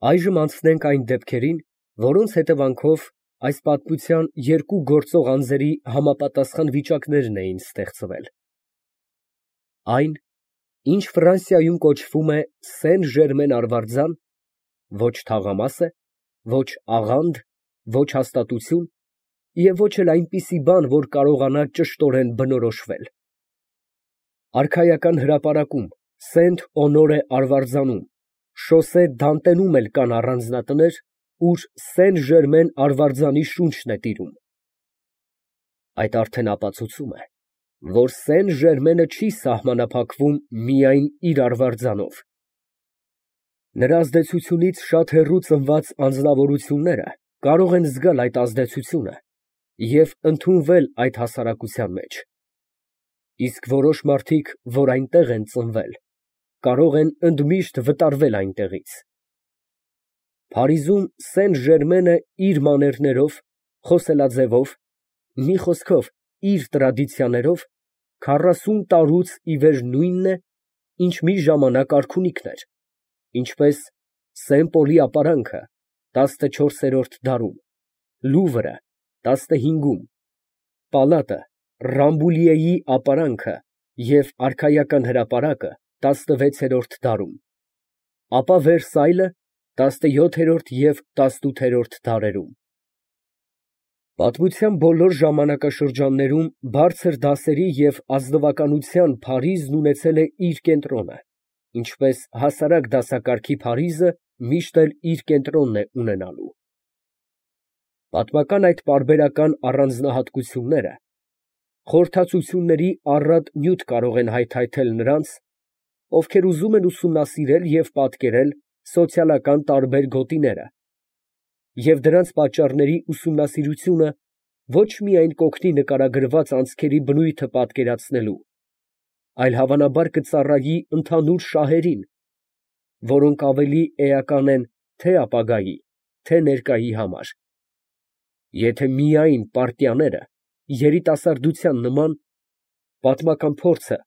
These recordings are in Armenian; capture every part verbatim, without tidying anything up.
Այժմ անցնենք այն դեպքերին, որոնց հետևանքով այս պատմության երկու գործող անձերի համապատասխան վիճակներն էին ստեղծվել. Այն, ինչ Ֆրանսիայում կոչվում է Սեն Ժերմեն արվարձան, ոչ թաղամաս է, ոչ աղանդ, ոչ հաստատություն և ոչ էլ այնպիսի բան, որ կարողանա ճշտորեն բնորոշվել։ Արքայական հրապարակում, Սենտ Օնորե արվարձանում, Շոսե Դանտենում էլ կան առանձնատներ, ուր Սեն Ժերմեն արվարձանի շունչն է տիրում։ Այդ արդեն ապացուցում է, որ Սեն Ժերմենը չի սահմանափակվում միայն իր արվարձանով։ Նրա ազդեցությունից շատ հեռու ծնված անձնավորությունները կարող են զգալ այդ ազդեցությունը և ընդունվել այդ հասարակության մեջ, իսկ որոշ մարդիկ, որ այնտեղ են ծնվել, կարող են ընդմիշտ վտարվել այնտեղից։ Փարիզում Սեն Ժերմենը իր մաներներով, խոսելաձևով, մի խոսքով, իր տրադիցիաներով քառասուն տարուց ի վեր նույնն է, ինչ մի ժամանակ արքունիքն էր, ինչպես Սեն Պոլի ապարանքը տասնչորսերորդ դարում, Լուվրը տասնհինգում, Պալատը, Ռամբուլիեի ապարանքը և արքայական հրապարակը տասնվեցերորդ դարում, ապա Վերսայլը տասնյոթերորդ և տասնութերորդ դարերում։ Պատմության բոլոր ժամանակաշրջաններում բարձր դասերի և ազնվականության Փարիզն ունեցել է իր կենտրոնը, ինչպես հասարակ դասակարգի Փարիզը միշտ էլ իր կենտրոնն է ունենալու։ Պատմական այդ պարբերական առանձնահատկությունները խորհրդածությունների առատ նյութ կարող են հայթայթել նրանց, ովքեր ուզում են ուսումնասիրել և պատկերել սոցիալական տարբեր գոտիները, և դրանց պատճառների ուսումնասիրությունը ոչ միայն կօգնի նկարագրված անցքերի բնույթը պատկերացնելու, այլ հավանաբար կծառայի ընդհանուր շահերին, որոնք ավելի էական են թե ապագայի, թե ներկայի համար, եթե միայն պարտիաները երիտասարդության նման պատմական փորձը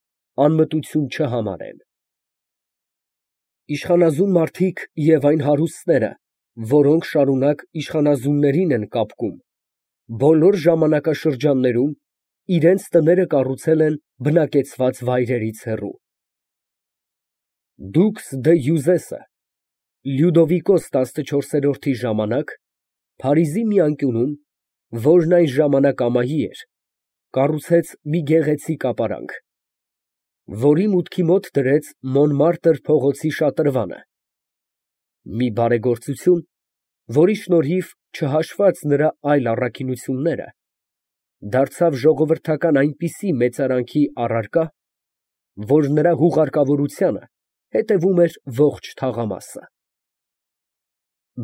անմտություն չհամարեն։ Իշխանազուն մարդիկ և այն հարուստները, որոնք շարունակ իշխանազուններին են կապկում, բոլոր ժամանակաշրջաններում իրենց տները կառուցել են բնակեցված վայրերից հեռու։ Դուքս դը Յուզեսը Լյուդովիկոս տասնչորսերորդի ժամանակ Փարիզի մի անկյունում, որն այն ժամանակ ամայի էր, կառուցեց մի գեղեցիկ ապարանք, որի մուտքի մոտ դրեց Մոնմարտր փողոցի շատրվանը, մի բարեգործություն, որի շնորհիվ, չհաշված նրա այլ առաքինությունները, դարձավ ժողովրդական այնպիսի մեծարանքի առարկա, որ նրա հուղարկավորությանը հետևում էր ողջ թաղամասը։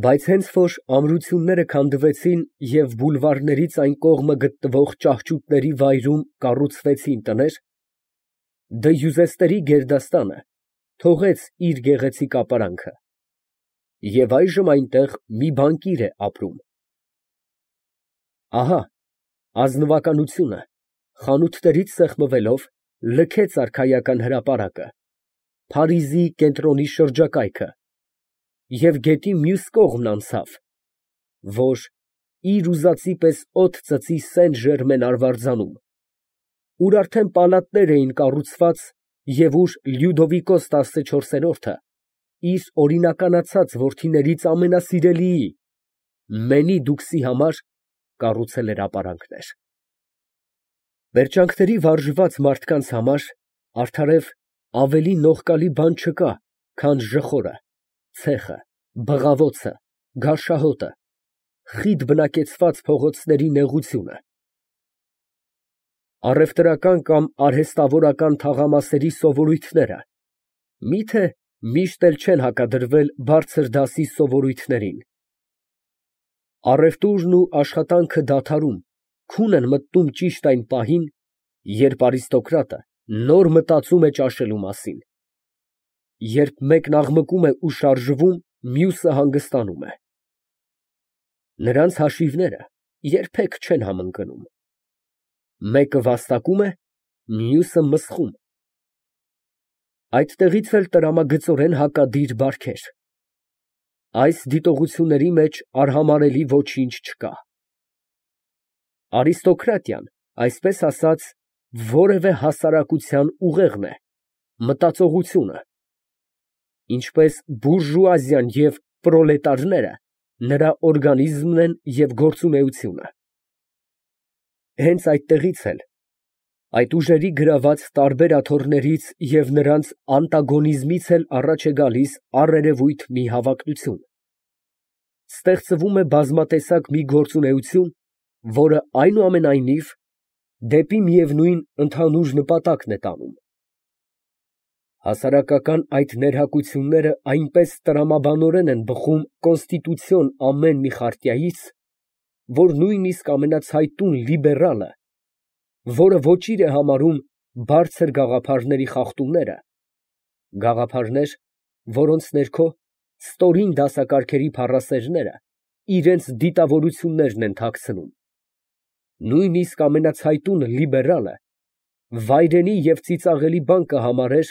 Բայց հենց որ ամրությունները քանդվեցին և բուլվարներից այն կողմը գտնվող ճահճուտների վայրում կառուցվեցին տներ, դը Յուզեստերի գերդաստանը թողեց իր գեղեցիկ ապարանքը, և այժմ այնտեղ մի բանկիր է ապրում։ Ահա ազնվականությունը, խանութներից սեղմվելով, լքեց արքայական հրապարակը, Փարիզի կենտրոնի շրջակայքը և գետի մյուս կողմն անցավ, որ իր ուզածի պես օդ ծծի Սեն Ժերմեն արվարձանում, ուր արդեն պալատներ էին կառուցված և ուր Լյուդովիկոս տասնչորսերորդը իր օրինականացած որդիներից ամենասիրելիի՝ Մենի համար կառուցել էր ապարանքներ։ Պերճանքների վարժված մարդկանց համար արդարև ավելի նողկալի բան չկա, քան ժխորը, ցեխը, բղավոցը, գարշահոտը, խիտ բնակեցված փողոցների նեղությունը։ Առևտրական կամ արհեստավորական թաղամասերի սովորույթները մի՞թե միշտ էլ չեն հակադրվել բարձր դասի սովորույթներին։ Առևտուրն ու աշխատանքը դադարում, քուն են մտնում ճիշտ այն պահին, երբ արիստոկրատը նոր մտածում է ճաշելու մասին, երբ մեկն աղմկում է ու շարժվում, մյուսը հանգստանում է։ Նրանց հաշիվները երբեք չեն համընկնում. մեկը վաստակում է, մյուսը մսխում։ Այդտեղից էլ տրամագծորեն հակադիր բարքեր։ այս դիտողությունների մեջ արհամարհելի ոչինչ չկա։ Արիստոկրատիան, այսպես ասած, որևէ հասարակության ուղեղն է, մտածողությունը, ինչպես բուրժուազիան և պրոլետարները նրա օրգանիզմն են և գործունեությունը։ Հենց այդտեղից էլ այդ ուժերի գրաված տարբեր աթոռներից և նրանց անտագոնիզմից էլ առաջ է գալիս առերևույթ մի հավակնություն. ստեղծվում է բազմատեսակ մի գործունեություն, որը այնուամենայնիվ դեպի միևնույն ընդհանուր նպատակն է տանում։ Հասարակական այդ ներհակությունները այնպես տրամաբանորեն են բխում կոնստիտուցիոն ամեն մի խարտիայից, որ նույնիսկ ամենացայտուն լիբերալը, որը ոչիր է համարում բարձր գաղափարների խախտումները, գաղափարներ, որոնց ներքո ստորին դասակարգերի փառասերները իրենց դիտավորություններն են թաքցնում, նույնիսկ ամենացայտուն լիբերալը վայրենի և ծիծաղելի բան կհամարեր,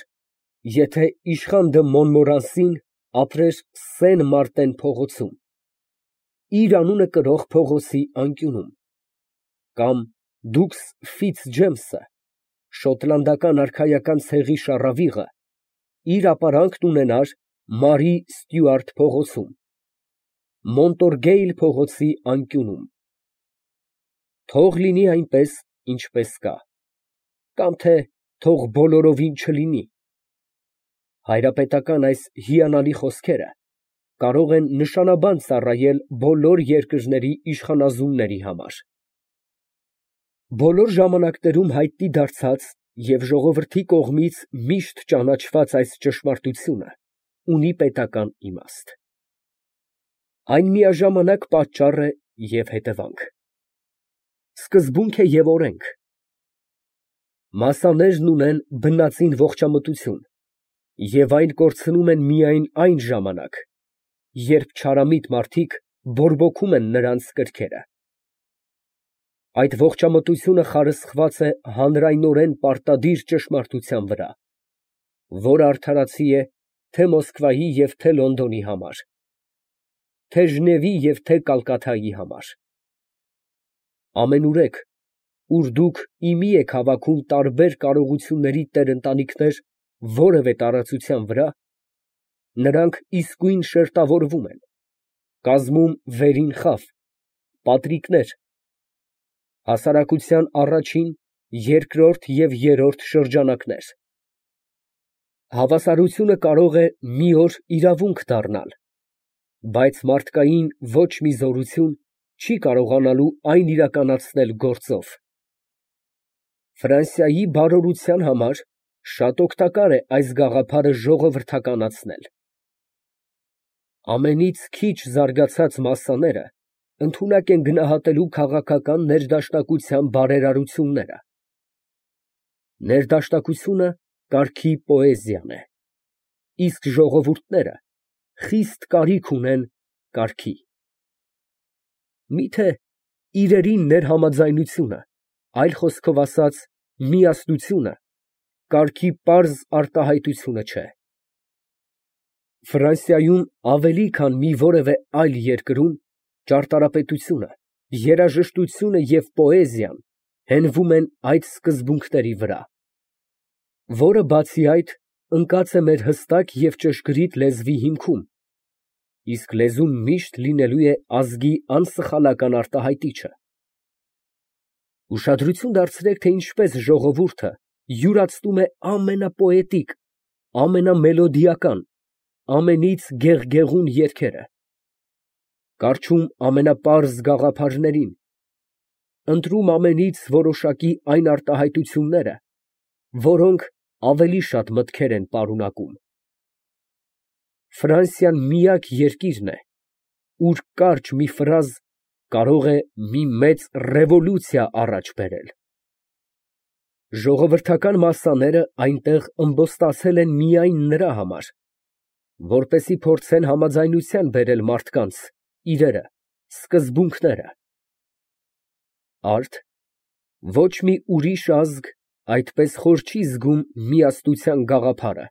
եթե իշխան դը Մոնմորանսին ապրեր Սեն֊Մարտեն փողոցում, իր անունը կրող փողոցի անկյունում, կամ դուքս Ֆիցջեյմսը, շոտլանդական արքայական ցեղի շառավիղը, իր ապարանքն ունենար Մարի Ստյուարտ փողոցում, Մոնտորգեյլ փողոցի անկյունում։ Թող լինի այնպես, ինչպես կա, կամ թե թող բոլորովին չլինի։ Հայրապետական այս հիանալի խոսքերը կարող են նշանաբան ծառայել բոլոր երկրների իշխանազունների համար։ Բոլոր ժամանակներում հայտնի դարձած և ժողովրդի կողմից միշտ ճանաչված այս ճշմարտությունը ունի պետական իմաստ։ Այն միաժամանակ պատճառ է և հետևանք, սկզբունք է և օրենք։ Մասսաներն ունեն բնածին ողջամտություն և այն կորցնում են միայն այն ժամանակ, երբ չարամիտ մարդիկ բորբոքում են նրանց կրքերը։ Այդ ողջամտությունը խարսխված է հանրայնորեն պարտադիր ճշմարտության վրա, որը արդարացի է թե Մոսկվայի և թե Լոնդոնի համար, թե Ժնևի և թե Կալկաթայի համար։ Ամենուրեք, ուր դուք ի մի եք հավաքում տարբեր կարողությունների տեր֊ընտանիքներ որևէ տարածության վրա, նրանք իսկույն շերտավորվում են, կազմում վերին խավ, պատրիկներ, հասարակության առաջին, երկրորդ և երրորդ շրջանակներ։ Հավասարությունը կարող է մի օր իրավունք դառնալ, բայց մարդկային ոչ մի զորություն չի կարողանալու այն իրականացնել գործով։ Ֆրանսիայի բարօրության համար շատ օգտակար է այս գաղափարը ժողովրդականացնել։ Ամենից քիչ զարգացած մասսաները ընդունակ են գնահատելու քաղաքական ներդաշնակության բարերարությունները։ Ներդաշնակությունը կարգի պոեզիան է, իսկ ժողովուրդները խիստ կարիք ունեն կարգի։ Մի՞թե իրերի ներհամաձայնությունը, այլ խոսքով ասած, միասնությունը կարգի պարզ արտահայտությունը չէ։ Ֆրանսիայում ավելի քան մի որևէ այլ երկրում ճարտարապետությունը, երաժշտությունը և պոեզիան հենվում են այդ սկզբունքների վրա, որը, բացի այդ, ընկած է մեր հստակ և ճշգրիտ լեզվի հիմքում, իսկ լեզուն միշտ լինելու է ազգի անսխալական արտահայտիչը։ Ուշադրություն դարձրեք, թե ինչպես ժողովուրդը յուրացնում է ամենապոետիկ, ամենամելոդիական, ամենից գեղգեղուն երգերը, կառչում ամենապարզ գաղափարներին, ընտրում ամենից որոշակի այն արտահայտությունները, որոնք ավելի շատ մտքեր են պարունակում։ Ֆրանսիան միակ երկիրն է, ուր կարճ մի ֆրազ կարող է մի մեծ ռևոլյուցիա առաջ բերել։ Ժողովրդական մասսաները այնտեղ ըմբոստացել են միայն նրա համար, որպեսզի փորձեն համաձայնության բերել մարդկանց իրերը, սկզբունքները։ Արդ ոչ մի ուրիշ ազգ այդպես խոր չի զգում միասնության գաղափարը,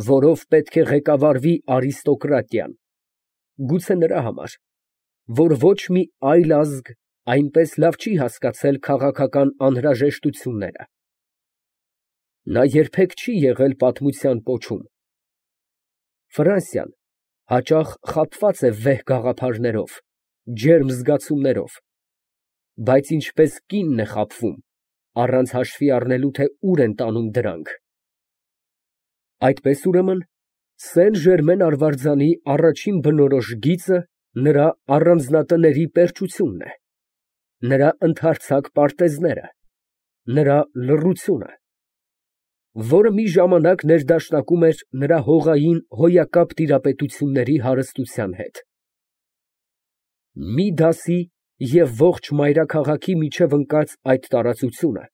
որով պետք է ղեկավարվի արիստոկրատիան, գուցե նրա համար, որ ոչ մի այլ ազգ այնպես լավ չի հասկացել քաղաքական անհրաժեշտությունները։ Նա երբեք չի եղել պատմության պոչում։ Ֆրանսիան հաճախ խաբված է վեհ գաղափարներով, ջերմ զգացումներով, բայց ինչպես կինն է խաբվում, առանց հաշվի առնելու, թե ուր են տանում դրանք։ Այդպես ուրեմն, Սեն֊Ժերմեն արվարձանի առաջին բնորոշ գիծը նրա առանձնատների պերճությունն է, նրա ընդարձակ պարտեզները, նրա լռությունը, որը մի ժամանակ ներդաշնակում էր նրա հողային հոյակապ տիրապետությունների հարստության հետ։ Մի դասի և ողջ մայրաքաղաքի միջև ընկած այդ տարածությունը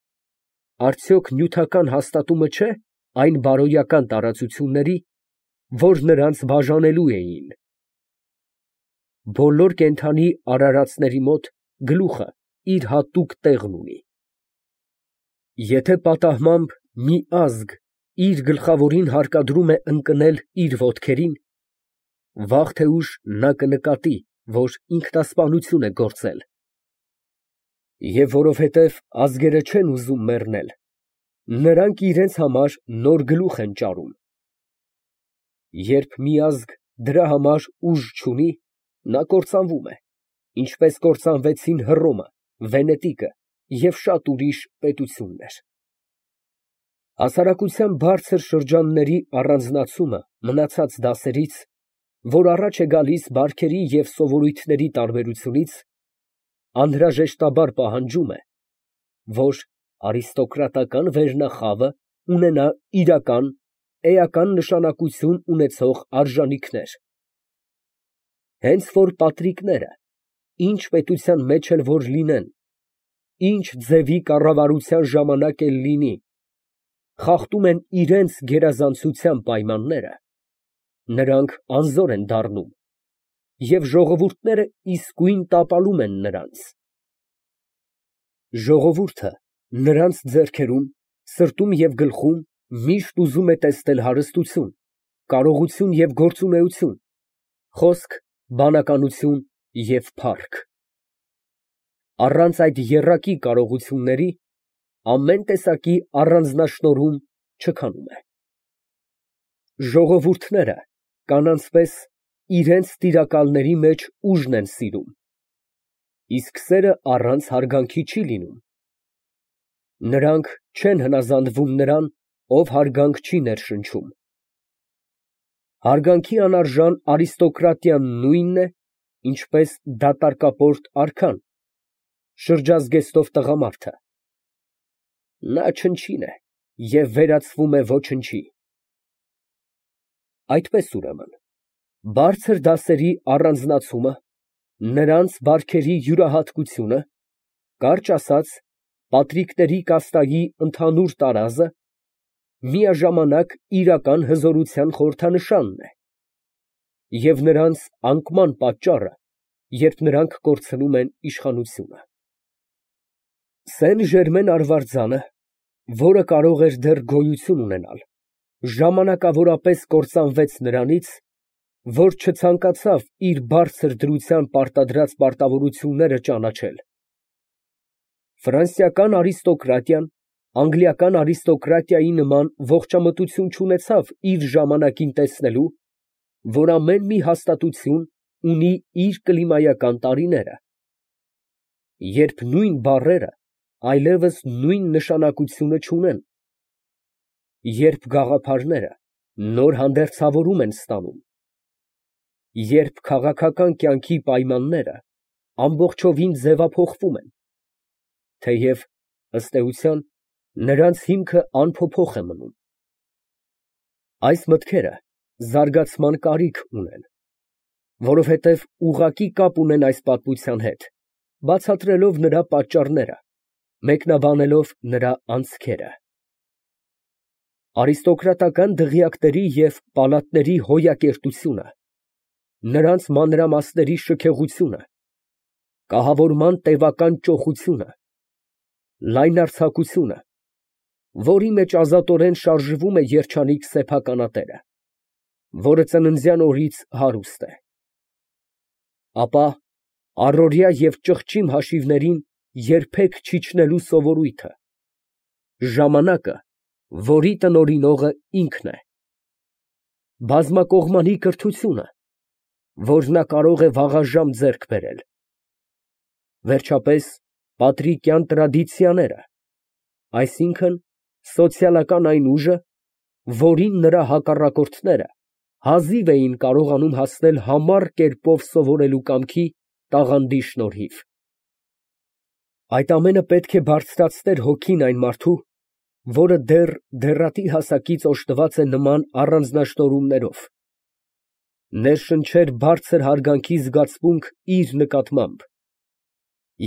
արդյոք նյութական հաստատումը չէ այն բարոյական տարածությունների, որ նրանց բաժանելու էին։ Բոլոր կենդանի արարածների մոտ գլուխը իր հատուկ տեղն ունի։ Եթե պատահմամբ մի ազգ իր գլխավորին հարկադրում է ընկնել իր ոտքերին, վաղ թե ուշ նա կնկատի, որ ինքնասպանություն է գործել։ Եվ որովհետև ազգերը չեն ուզում մեռնել, նրանք իրենց համար նոր գլուխ են ճարում։ Երբ մի ազգ դրա համար ուժ չունի, նա կործանվում է, ինչպես կործանվեցին Հռոմը, Վենետիկը և շատ ուրիշ պետություններ։ Հասարակության բարձր շրջանների առանձնացումը մնացած դասերից, որ առաջ է գալիս բարքերի և սովորույթների տարբերությունից, անհրաժեշտաբար պահանջում է, որ արիստոկրատական վերնախավը ունենա իրական, էական նշանակություն ունեցող արժանիքներ։ Հենց որ պատրիկները, ինչ պետության մեջ էլ որ լինեն, ինչ ձևի կառավարության ժամանակ էլ լինի, խախտում են իրենց գերազանցության պայմանները, նրանք անզոր են դառնում, և ժողովուրդները իսկույն տապալում են նրանց։ Ժողովուրդը նրանց ձեռքերում, սրտում և գլխում միշտ ուզում է տեսնել հարստություն, կարողություն և գործունեություն, խոսք, բանականություն և փառք։ Առանց այդ եռակի կարողությունների ամեն տեսակի առանձնաշնորհում չքանում է։ Ժողովուրդները կանանց պես իրենց տիրակալների մեջ ուժն են սիրում, իսկ սերը առանց հարգանքի չի լինում։ Նրանք չեն հնազանդվում նրան, ով հարգանք չի ներշնչում։ Հարգանքի անարժան արիստոկրատիան նույնն է, ինչպես դատարկապորտ արքան, շրջազգեստով տղամարդը։ Նա չնչին է և վերածվում է ոչնչի։ Այդպես ուրեմն, բարձր դասերի առանձնացումը, նրանց բարքերի յուրահատկությունը, կարճ ասած, պատրիկների կաստայի ընդհանուր տարազը, միաժամանակ իրական հզորության խորհրդանշանն է և նրանց անկման պատճառը, երբ նրանք կորցնում են իշխանությունը։ Սեն֊Ժերմեն արվարձանը, որը կարող էր դեռ գոյություն ունենալ, ժամանակավորապես կործանվեց նրանից, որ չցանկացավ իր բարձր դրությամբ պարտադրած պարտավորությունները ճանաչել։ Ֆրանսիական արիստոկրատիան անգլիական արիստոկրատիայի նման ողջամտություն չունեցավ իր ժամանակին տեսնելու, որ ամեն մի հաստատություն ունի իր կլիմայական տարիները, երբ նույն բառերը այլևս նույն նշանակությունը չունեն, երբ գաղափարները նոր հանդերձավորում են ստանում, երբ քաղաքական կյանքի պայմանները ամբողջովին ձևափոխվում են, թեև, ըստ էության, նրանց հիմքը անփոփոխ է մնում։ Այս մտքերը զարգացման կարիք ունեն, որովհետև ուղղակի կապ ունեն այս պատմության հետ, բացատրելով նրա պատճառները, մեկնաբանելով նրա անցքերը։ Արիստոկրատական դղյակների և պալատների հոյակերտությունը, նրանց մանրամասների շքեղությունը, կահավորման տևական ճոխությունը, լայնարձակությունը, որի մեջ ազատորեն շարժվում է երջանիկ սեփականատերը, որը ծննդյան օրից հարուստ է, ապա առօրյա և ճղճիմ հաշիվներին երբեք չիջնելու սովորույթը, ժամանակը, որի տնօրինողը ինքն է, բազմակողմանի կրթությունը, որ նա կարող է վաղաժամ ձեռք բերել, վերջապես պատրիկյան տրադիցիաները, այսինքն սոցիալական այն ուժը, որին նրա հակառակորդները հազիվ էին կարողանում հասնել համառ կերպով սովորելու կամքի տաղանդի շնորհիվ։ Այդ ամենը պետք է բարձրացներ հոգին այն մարդու, որը դեռ դեռատի հասակից օժտված է նման առանձնաշնորհումներով, ներշնչեր բարձր հարգանքի զգացմունք իր նկատմամբ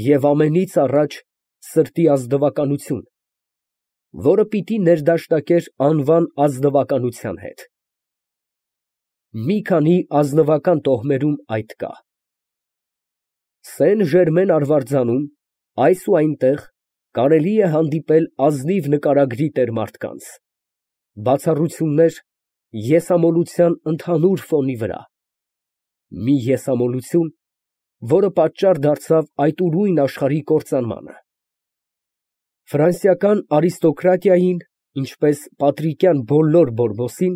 և ամենից առաջ սրտի ազնվականություն, որը պիտի ներդաշնակեր անվան ազնվականության հետ։ Մի քանի ազնվական տոհմերում այդ կա։ Սեն֊Ժերմեն արվարձանում այս ու այնտեղ կարելի է հանդիպել ազնիվ նկարագրի տեր մարդկանց, բացառություններ եսամոլության ընդհանուր ֆոնի վրա, մի եսամոլություն, որը պատճառ դարձավ այդ ուրույն աշխարհի կործանմանը։ Ֆրանսիական արիստոկրատիային, ինչպես պատրիկյան բոլոր Բորբոսին,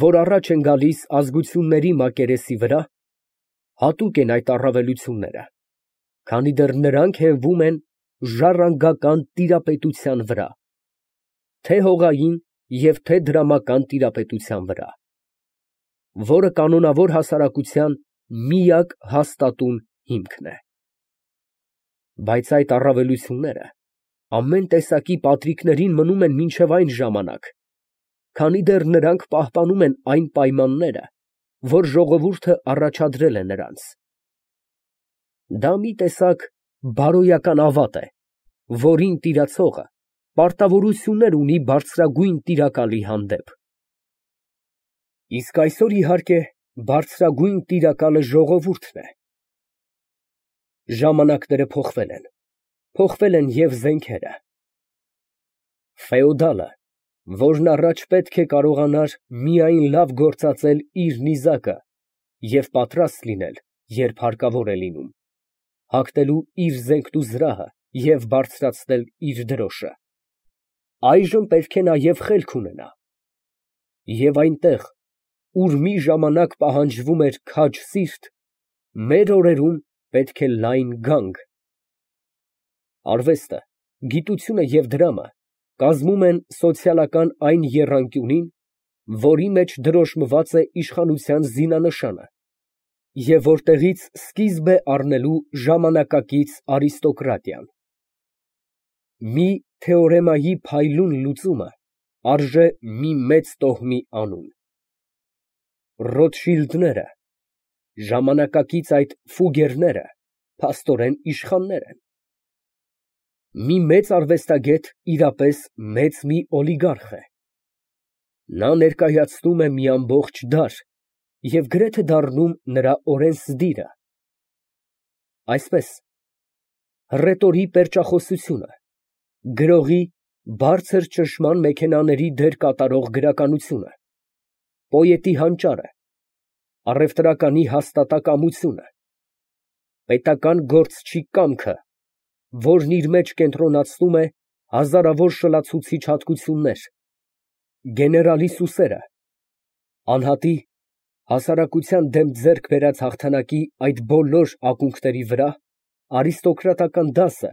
որ առաջ են գալիս ազգությունների մակերեսի վրա, հատուկ են այդ առավելությունները, քանի դեռ նրանք հենվում են ժառանգական տիրապետության վրա, թե հողային և թե դրամական տիրապետության վրա, որը կանոնավոր հասարակության միակ հաստատուն հիմքն է։ Բայց այդ առավելությունները ամեն տեսակի պատրիկներին մնում են մինչև այն ժամանակ, քանի դեռ նրանք պահպանում են այն պայմանները, որ ժողովուրդը առաջադրել է նրանց։ Դա մի տեսակ բարոյական ավատ է, որին տիրացողը պարտավորություններ ունի բարձրագույն տիրակալի հանդեպ։ Իսկ այսօր, իհարկե, բարձրագույն տիրակալը ժողովուրդն է։ Ժամանակները փոխվել են, փոխվել են և զենքերը։ Ֆեոդալը, որն առաջ պետք է կարողանար միայն լավ գործածել իր նիզակը և պատրաստ լինել, երբ հարկավոր է լինում, հագնելու իր զենքն ու զրահը և բարձրացնել իր դրոշը, այժմ պետք է նաև խելք ունենա, և այնտեղ, ուր մի ժամանակ պահանջվում էր քաջ սիրտ, մեր օրերում պետք է լայն գանգ։ Արվեստը, գիտությունը և դրամը կազմում են սոցիալական այն եռանկյունին, որի մեջ դրոշմված է իշխանության զինանշանը և որտեղից սկիզբ է առնելու ժամանակակից արիստոկրատիան։ Մի թեորեմայի փայլուն լուծումը արժե մի մեծ տոհմի անուն։ Ռոտշիլդները, ժամանակակից այդ ֆուգերները փաստորեն իշխաններ են։ Մի մեծ արվեստագետ իրապես մեծ մի օլիգարխ է։ Նա ներկայացնում է մի ամբողջ դար և գրեթե դառնում նրա օրենսդիրը։ Այսպես, հռետորի պերճախոսությունը, գրողի բարձր ճնշման մեքենաների դեր կատարող գրականությունը, պոետի հանճարը, առևտրականի հաստատակամությունը, պետական գործչի կամքը, որն իր մեջ կենտրոնացնում է հազարավոր շլացուցիչ հատկություններ, գեներալի սուսերը, անհատի, հասարակության դեմ ձեռք բերած հաղթանակի այդ բոլոր ակունքների վրա արիստոկրատական դասը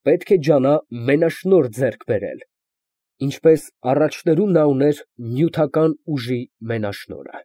պետք է ջանա մենաշնորհ ձեռք բերել, ինչպես առաջներում նա ուներ նյութական ուժի մենաշնորհը։